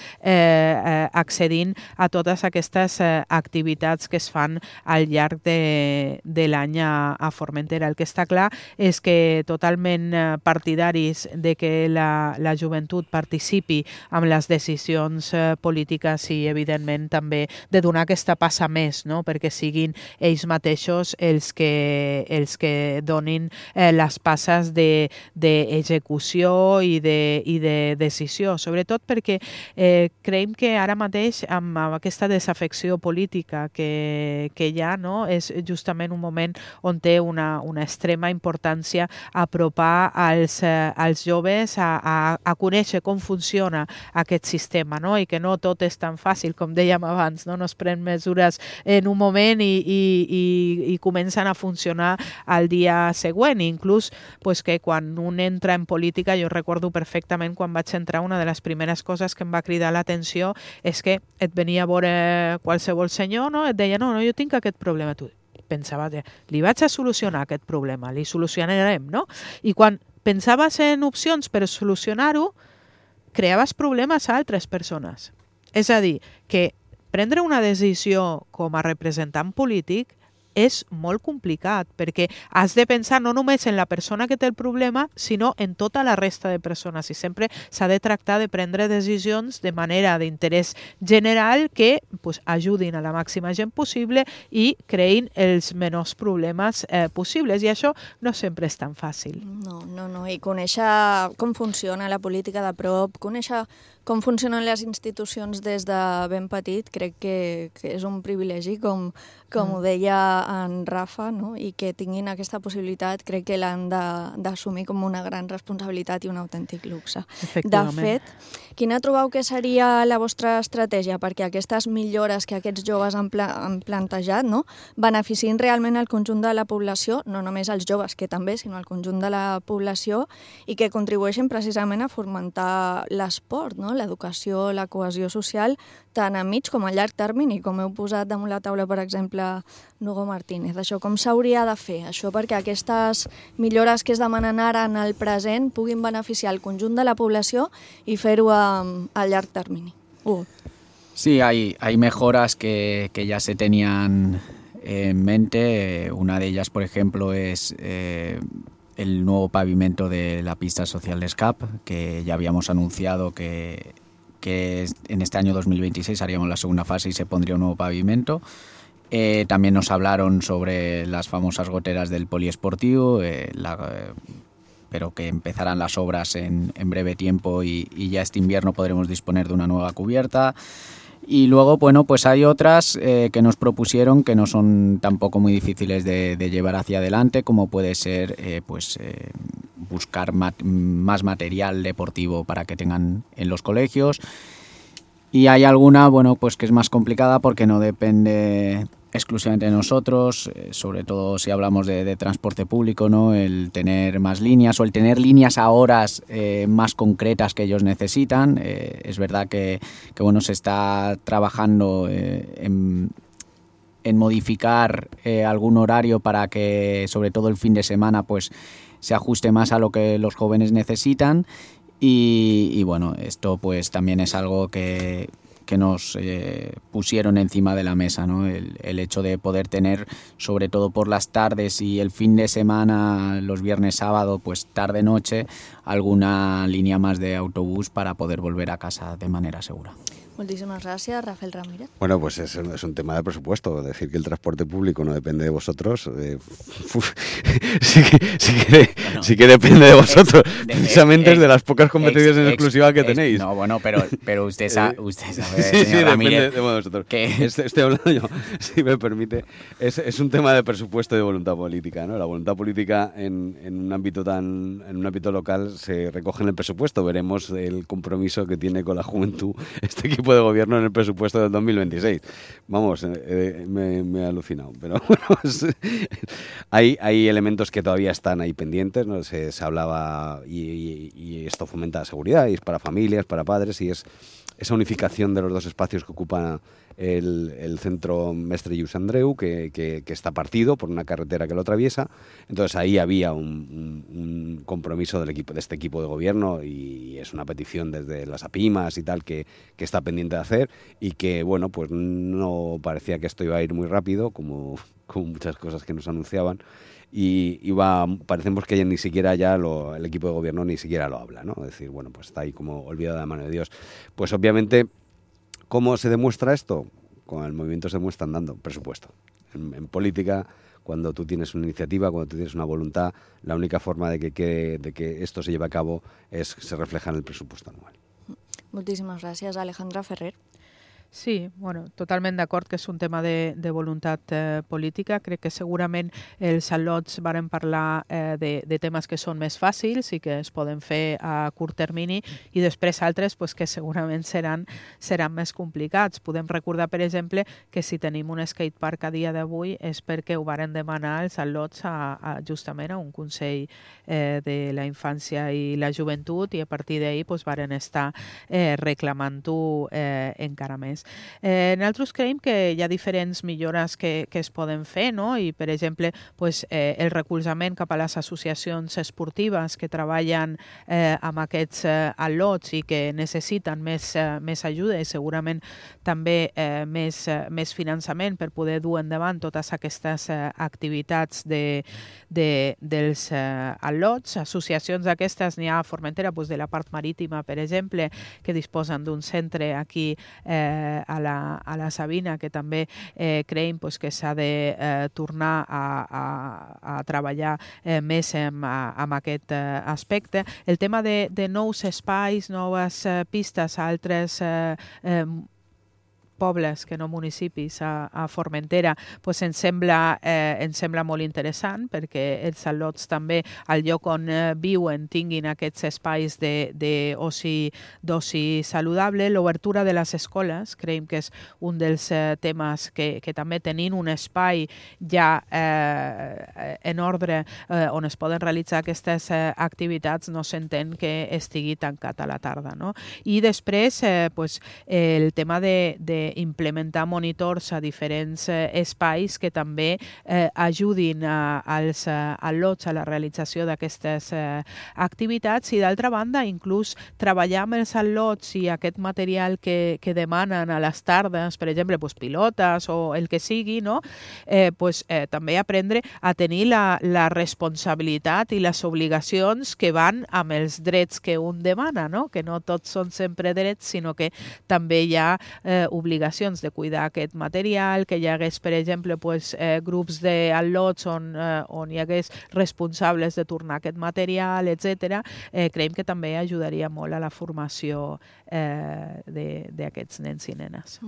accedint a totes aquestes activitats que es fan al llarg de l'any a Formentera. El que està clar és que totalment partidaris de que la joventut participi amb les decisions polítiques i, evidentment, també de donar aquesta passa més, no? Perquè siguin ells mateixos els que donin les passes d'execució i de decisió, sobretot perquè creiem que ara mateix amb aquesta desafecció política que hi ha, no? És justament un moment on té una extrema importància apropar als joves a conèixer com funciona aquest sistema, no? I que no tot és tan fàcil, com dèiem abans, no es pren mesures en un moment i comencen a funcionar al dia següent. Inclús que quan un entra en política, jo recordo perfectament quan vaig entrar, una de les primeres coses que em va cridar l'atenció és que et venia a veure qualsevol senyor, no? Et deia, no, jo tinc aquest problema. Tu pensava, li vaig a solucionar aquest problema, li solucionarem, no? I quan pensaves en opcions per solucionar-ho, creaves problemes a altres persones. És a dir, que prendre una decisió com a representant polític és molt complicat, perquè has de pensar no només en la persona que té el problema, sinó en tota la resta de persones. I sempre s'ha de tractar de prendre decisions de manera d'interès general que ajudin a la màxima gent possible i creïn els menors problemes possibles. I això no sempre és tan fàcil. No. I conèixer com funciona la política de prop, conèixer com funcionen les institucions des de ben petit, crec que és un privilegi, com ho deia en Rafa, no? I que tinguin aquesta possibilitat, crec que l'han d'assumir com una gran responsabilitat i un autèntic luxe. De fet, quina trobeu que seria la vostra estratègia perquè aquestes millores que aquests joves han plantejat, no? Beneficien realment el conjunt de la població, no només els joves, que també, sinó el conjunt de la població, i que contribueixen precisament a fomentar l'esport, no? L'educació, la cohesió social, tant a mig com a llarg termini, com heu posat damunt la taula, per exemple, Nugo Martínez. Això com s'hauria de fer? Això perquè aquestes millores que es demanen ara en el present puguin beneficiar el conjunt de la població y fer-ho a llarg termini. Sí, hay mejoras que ya se tenían en mente. Una de ellas, por ejemplo, es el nuevo pavimento de la pista social de SCAP, que ya habíamos anunciado que en este año 2026 haríamos la segunda fase y se pondría un nuevo pavimento. También nos hablaron sobre las famosas goteras del poliesportivo, pero que empezarán las obras en breve tiempo y ya este invierno podremos disponer de una nueva cubierta. Y luego, bueno, pues hay otras que nos propusieron que no son tampoco muy difíciles de llevar hacia adelante, como puede ser buscar más material deportivo para que tengan en los colegios. Y hay alguna, bueno, pues que es más complicada porque no depende exclusivamente de nosotros, sobre todo si hablamos de transporte público, ¿no? El tener más líneas o el tener líneas a horas más concretas que ellos necesitan. Es verdad que bueno, se está trabajando en modificar algún horario para que, sobre todo el fin de semana, pues se ajuste más a lo que los jóvenes necesitan. Y bueno, esto pues también es algo que nos pusieron encima de la mesa, ¿no? El hecho de poder tener, sobre todo por las tardes y el fin de semana, los viernes, sábado, pues tarde-noche, alguna línea más de autobús para poder volver a casa de manera segura. Muchísimas gracias, Rafael Ramírez. Bueno, pues es un tema de presupuesto. Decir que el transporte público no depende de vosotros, sí que depende de vosotros. Precisamente es de las pocas competiciones en exclusiva que tenéis. No, bueno, pero usted sabe, sí, Ramírez, depende de vosotros. Estoy hablando yo, si me permite. Es un tema de presupuesto y de voluntad política, ¿no? La voluntad política en un ámbito local se recoge en el presupuesto. Veremos el compromiso que tiene con la juventud este equipo de gobierno en el presupuesto del 2026. Vamos, me he alucinado. Pero bueno, hay elementos que todavía están ahí pendientes, ¿no? Se hablaba y esto fomenta la seguridad y es para familias, para padres y es esa unificación de los dos espacios que ocupa el centro Mestre Lluís Andreu, que está partido por una carretera que lo atraviesa. Entonces ahí había un compromiso de este equipo de gobierno, y es una petición desde las APIMAS y tal que está pendiente de hacer, y que, bueno, pues no parecía que esto iba a ir muy rápido, como muchas cosas que nos anunciaban, y parecemos que ni siquiera ya el equipo de gobierno ni siquiera lo habla, ¿no? Es decir, bueno, pues está ahí como olvidado de la mano de Dios. Pues obviamente, ¿cómo se demuestra esto? Con el movimiento se demuestra andando, presupuesto. En política, cuando tú tienes una iniciativa, cuando tú tienes una voluntad, la única forma de que esto se lleve a cabo se refleja en el presupuesto anual. Moltíssimes gràcies, Alejandra Ferrer. Sí, bueno, totalment d'acord que és un tema de voluntat política. Crec que segurament els al·lots varen parlar de temes que són més fàcils i que es poden fer a curt termini, i després altres pues, que segurament seran més complicats. Podem recordar, per exemple, que si tenim un skatepark a dia d'avui és perquè ho varen demanar els al·lots justament a un Consell de la Infància i la Joventut, i a partir d'ahir pues, varen estar reclamant-ho encara més. Nosaltres creiem que hi ha diferents millores que es poden fer, no? I, per exemple, pues, el recolzament cap a les associacions esportives que treballen amb aquests al·lots i que necessiten més ajuda, i segurament també més finançament per poder dur endavant totes aquestes activitats dels al·lots. Associacions d'aquestes n'hi ha a Formentera, pues, de la part marítima, per exemple, que disposen d'un centre aquí a la Sabina, que també creiem pues, que s'ha de tornar a treballar més amb aquest aspecte. El tema de nous espais, noves pistes a altres pobles que no municipis a Formentera, pues ens sembla molt interessant, perquè els al·lots també, al lloc on viuen, tinguin aquests espais d'oci saludable. L'obertura de les escoles, creiem que és un dels temes que també tenint un espai ja en ordre on es poden realitzar aquestes activitats, no s'entén que estigui tancat a la tarda, no? I després, pues, el tema implementar monitors a diferents espais que també ajudin als al·lots a la realització d'aquestes activitats, i d'altra banda inclús treballar amb els al·lots i aquest material que demanen a les tardes, per exemple pues, pilotes o el que sigui, no? També aprendre a tenir la responsabilitat i les obligacions que van amb els drets que un demana, no? Que no tots són sempre drets, sinó que també hi ha obligacions de cuidar aquest material, que hi hagués, per exemple, grups d'al·lots on hi hagués responsables de tornar aquest material, etc. Creiem que també ajudaria molt a la formació d'aquests nens i nenes.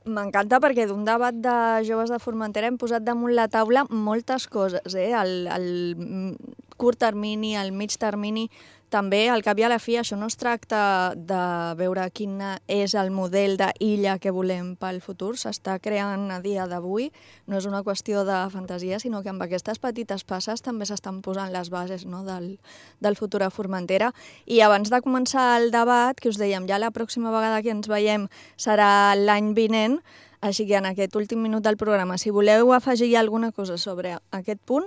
M'encanta perquè d'un debat de joves de Formentera hem posat damunt la taula moltes coses, el curt termini, el mig termini, també, al cap i a la fi, això no es tracta de veure quin és el model d'illa que volem pel futur, s'està creant a dia d'avui, no és una qüestió de fantasia, sinó que amb aquestes petites passes també s'estan posant les bases, no, del futur a Formentera. I abans de començar el debat, que us dèiem, ja la pròxima vegada que ens veiem serà l'any vinent, així que en aquest últim minut del programa, si voleu afegir alguna cosa sobre aquest punt,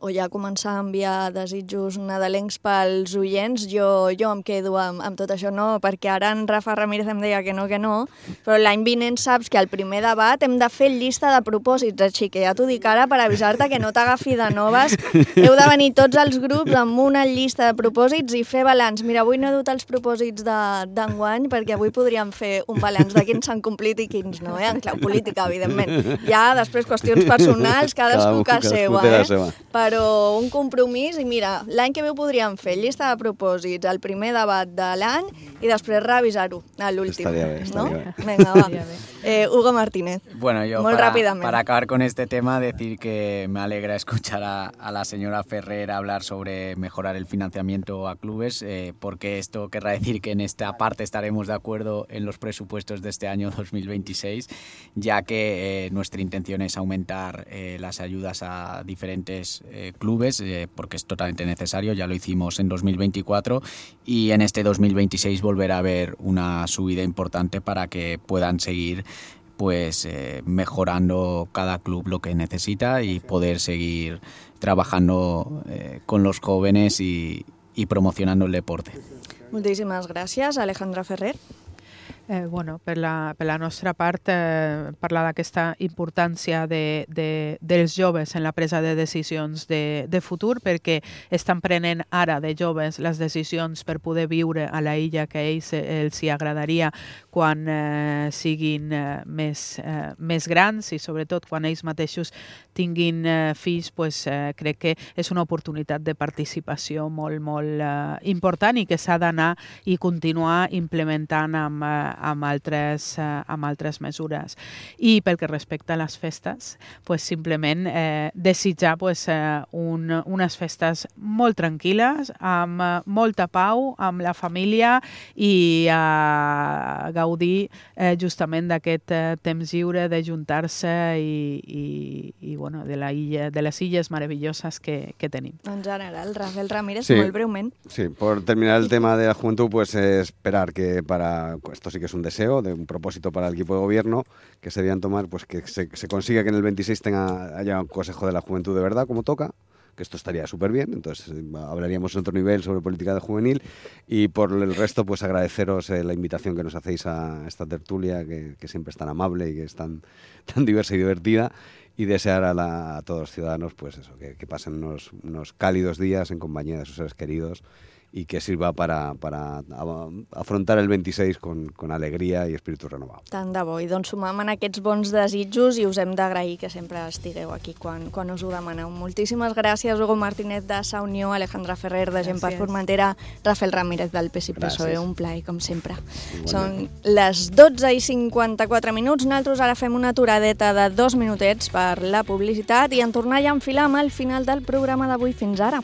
o ja començar a enviar desitjos nadalencs pels oients, jo em quedo amb tot això, no, perquè ara en Rafa Ramírez em deia que no, però l'any vinent saps que al primer debat hem de fer llista de propòsits, així que ja t'ho dic ara per avisar-te que no t'agafi de noves. Heu de venir tots els grups amb una llista de propòsits i fer balanç. Mira, avui no he dut els propòsits d'enguany, perquè avui podríem fer un balanç de quins s'han complit i quins no, en clau política, evidentment. Ja després qüestions personals, cadascú que seva, però un compromís, i mira, l'any que ve ho podríem fer, llista de propòsits, el primer debat de l'any i després revisar-ho a l'últim. Estaría bien, ¿no? Venga, va. Hugo Martínez. Bueno, yo para acabar con este tema, decir que me alegra escuchar a la señora Ferrer hablar sobre mejorar el financiamiento a clubes, porque esto querrá decir que en esta parte estaremos de acuerdo en los presupuestos de este año 2026, ya que nuestra intención es aumentar las ayudas a diferentes clubes, porque es totalmente necesario. Ya lo hicimos en 2024 y en este 2026 volverá a haber una subida importante para que puedan seguir pues mejorando cada club lo que necesita y poder seguir trabajando con los jóvenes y promocionando el deporte. Moltíssimes gràcies, Alejandra Ferrer. Per la nostra part, parlar d'aquesta importància dels joves en la presa de decisions de futur, perquè estan prenent ara de joves les decisions per poder viure a la illa que a ells els hi agradaria quan siguin més grans i sobretot quan ells mateixos tinguin fills, crec que és una oportunitat de participació molt, molt important i que s'ha d'anar i continuar implementant amb altres mesures. I pel que respecta a les festes, simplement desitjar unes festes molt tranquil·les, amb molta pau, amb la família i gaudir justament d'aquest temps lliure de juntar-se i de les illes meravelloses que tenim. En general, Rafael Ramírez, molt breument. Sí, por terminar el tema de la juventud, esperar que esto sí que es un deseo, de un propósito para el equipo de gobierno que se debían tomar, que se consiga que en el 26 haya un Consejo de la Juventud de verdad, como toca, que esto estaría súper bien, entonces hablaríamos en otro nivel sobre política de juvenil y por el resto agradeceros la invitación que nos hacéis a esta tertulia que siempre es tan amable y que es tan diversa y divertida y desear a todos los ciudadanos que pasen unos cálidos días en compañía de sus seres queridos y que sirva para afrontar el 26 con alegria i espíritu renovat. Tant de bo, i doncs sumam en aquests bons desitjos i us hem d'agrair que sempre estigueu aquí quan us ho demaneu. Moltíssimes gràcies, Hugo Martínez de Sa Unió, Alejandra Ferrer de Gent per Formentera, Rafael Ramírez del PSI PSOE, un plaer com sempre. Són les 12:54. Nosaltres ara fem una aturadeta de 2 minutets per la publicitat i en tornar ja a enfilar amb el final del programa d'avui. Fins ara.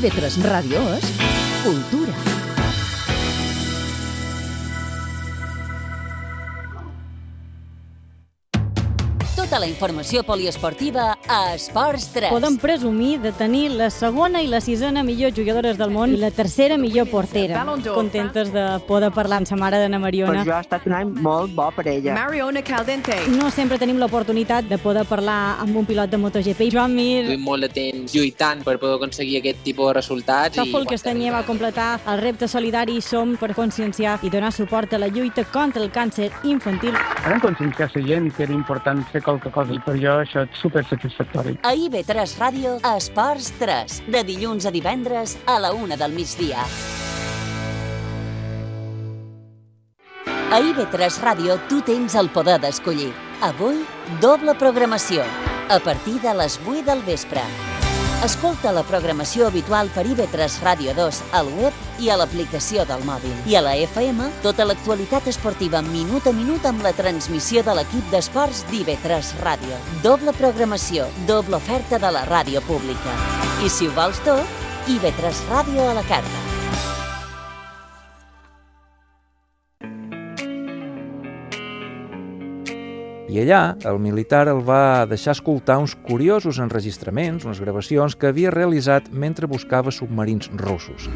IB3 Ràdio és cultura. Tota la informació poliesportiva a Esports 3. Podem presumir de tenir la segona i la sisena millor jugadores del món i la tercera millor portera. Contentes de poder parlar amb sa mare d'Anna Mariona. Per jo ha estat un any molt bo per ella. Mariona Caldente. No sempre tenim l'oportunitat de poder parlar amb un pilot de MotoGP. Joan Mir. Duim molt de temps lluitant per poder aconseguir aquest tipus de resultats. Tòfol Castanyer va completar el repte solidari Som per conscienciar i donar suport a la lluita contra el càncer infantil. Vam conscienciar la gent que era important fer qualque cosa i per jo això és supersatisfactori. A IB3 Ràdio, Esports 3, de dilluns a divendres a la 1 del migdia. A IB3 Ràdio tu tens el poder d'escollir. Avui, doble programació, a partir de les 8 del vespre. Escolta la programació habitual per IB3 Ràdio 2 al web i a l'aplicació del mòbil. I a la FM, tota l'actualitat esportiva minut a minut amb la transmissió de l'equip d'esports d'IB3 Ràdio. Doble programació, doble oferta de la ràdio pública. I si ho vols tot, IB3 Ràdio a la carta. I allà, el militar el va deixar escoltar uns curiosos enregistraments, unes gravacions que havia realitzat mentre buscava submarins russos.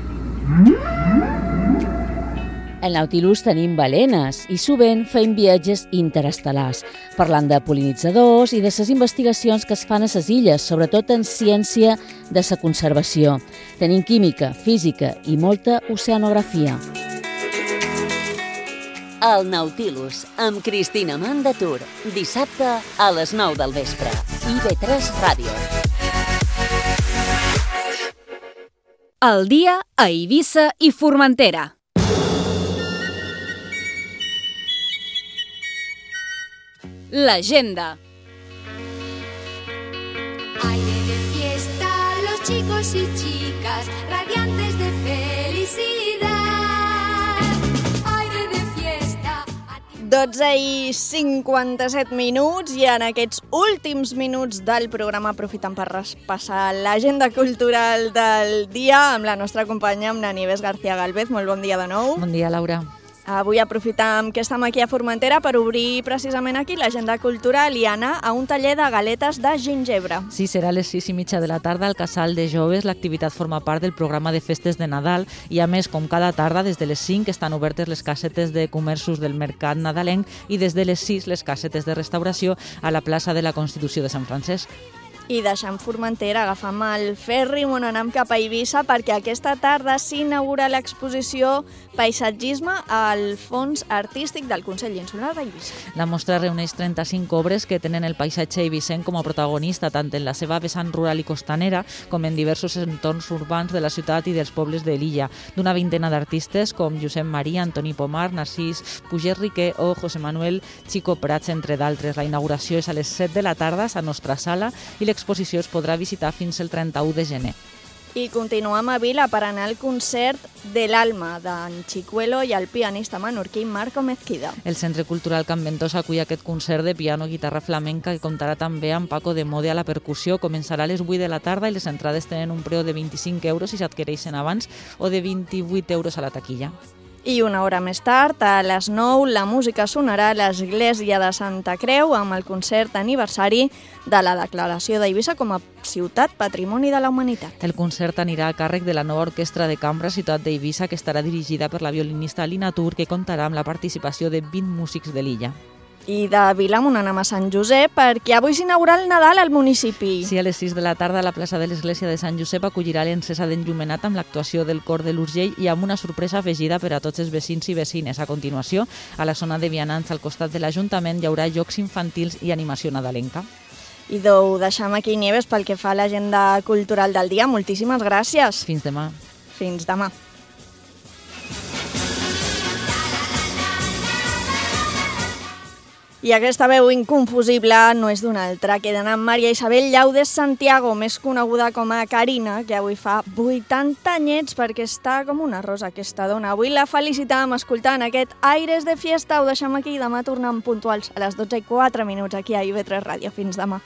Al Nautilus tenim balenes i sovint fem viatges interestel·lars, parlant de pol·linitzadors i de les investigacions que es fan a les illes, sobretot en ciència de la conservació. Tenim química, física i molta oceanografia. El Nautilus, amb Cristina Mandatur, dissabte a les 9 del vespre. IB3 Ràdio. El dia a Eivissa i Formentera. L'agenda. Aire de fiesta, los chicos y chicas, radiantes de felicidad. 12:57 i en aquests últims minuts del programa aprofitem per repassar l'agenda cultural del dia amb la nostra companya, amb la Nieves García Galvez. Molt bon dia de nou. Bon dia, Laura. Avui aprofitem que estem aquí a Formentera per obrir precisament aquí l'agenda cultural i anar a un taller de galetes de gingebre. Sí, serà a les 6:30 de la tarda al Casal de Joves. L'activitat forma part del programa de festes de Nadal i, a més, com cada tarda, des de les 5 estan obertes les casetes de comerços del Mercat Nadalenc i des de les 6 les casetes de restauració a la plaça de la Constitució de Sant Francesc. I deixant Formentera, agafam el ferri on anem cap a Eivissa perquè aquesta tarda s'inaugura l'exposició Paisatgisme al Fons Artístic del Consell Insular d'Eivissa. La mostra reuneix 35 obres que tenen el paisatge eivissenc com a protagonista tant en la seva vessant rural i costanera com en diversos entorns urbans de la ciutat i dels pobles de l'illa, d'una vintena d'artistes com Josep Maria, Antoni Pomar, Narcís Puget Riquer o José Manuel Chico Prats, entre d'altres. La inauguració és a les 7 de la tarda a la nostra sala i l'exposició es podrà visitar fins el 31 de gener. I continuem a Vila per anar al concert de l'Alma d'en Chicuelo i el pianista menorquí Marco Mezquida. El Centre Cultural Can Ventosa acull aquest concert de piano i guitarra flamenca que comptarà també amb Paco de Mode a la percussió. Començarà a les 8 de la tarda i les entrades tenen un preu de 25 euros si s'adquireixen abans o de 28 euros a la taquilla. I una hora més tard, a les 9, la música sonarà a l'Església de Santa Creu amb el concert aniversari de la declaració d'Eivissa com a ciutat patrimoni de la humanitat. El concert anirà a càrrec de la nova orquestra de cambra Ciutat d'Eivissa, que estarà dirigida per la violinista Alina Tur, que comptarà amb la participació de 20 músics de l'illa. I de Vilamont anem a Sant Josep perquè avui s'inaugura el Nadal al municipi. Sí, a les 6 de la tarda la plaça de l'Església de Sant Josep acollirà l'encesa d'enllumenat amb l'actuació del cor de l'Urgell i amb una sorpresa afegida per a tots els vecins i vecines. A continuació, a la zona de vianants al costat de l'Ajuntament hi haurà jocs infantils i animació nadalenca. I ho deixem aquí, Nieves, pel que fa a l'agenda cultural del dia. Moltíssimes gràcies. Fins demà. Fins demà. I aquesta veu inconfusible no és d'una altra que d'anar Maria Isabel Llaudes Santiago, més coneguda com a Carina, que avui fa 80 anyets perquè està com una rosa aquesta dona. Avui la felicitam escoltant aquest Aires de Fiesta. Ho deixem aquí, demà tornem puntuals a les 12:04 aquí a IB3 Ràdio. Fins demà.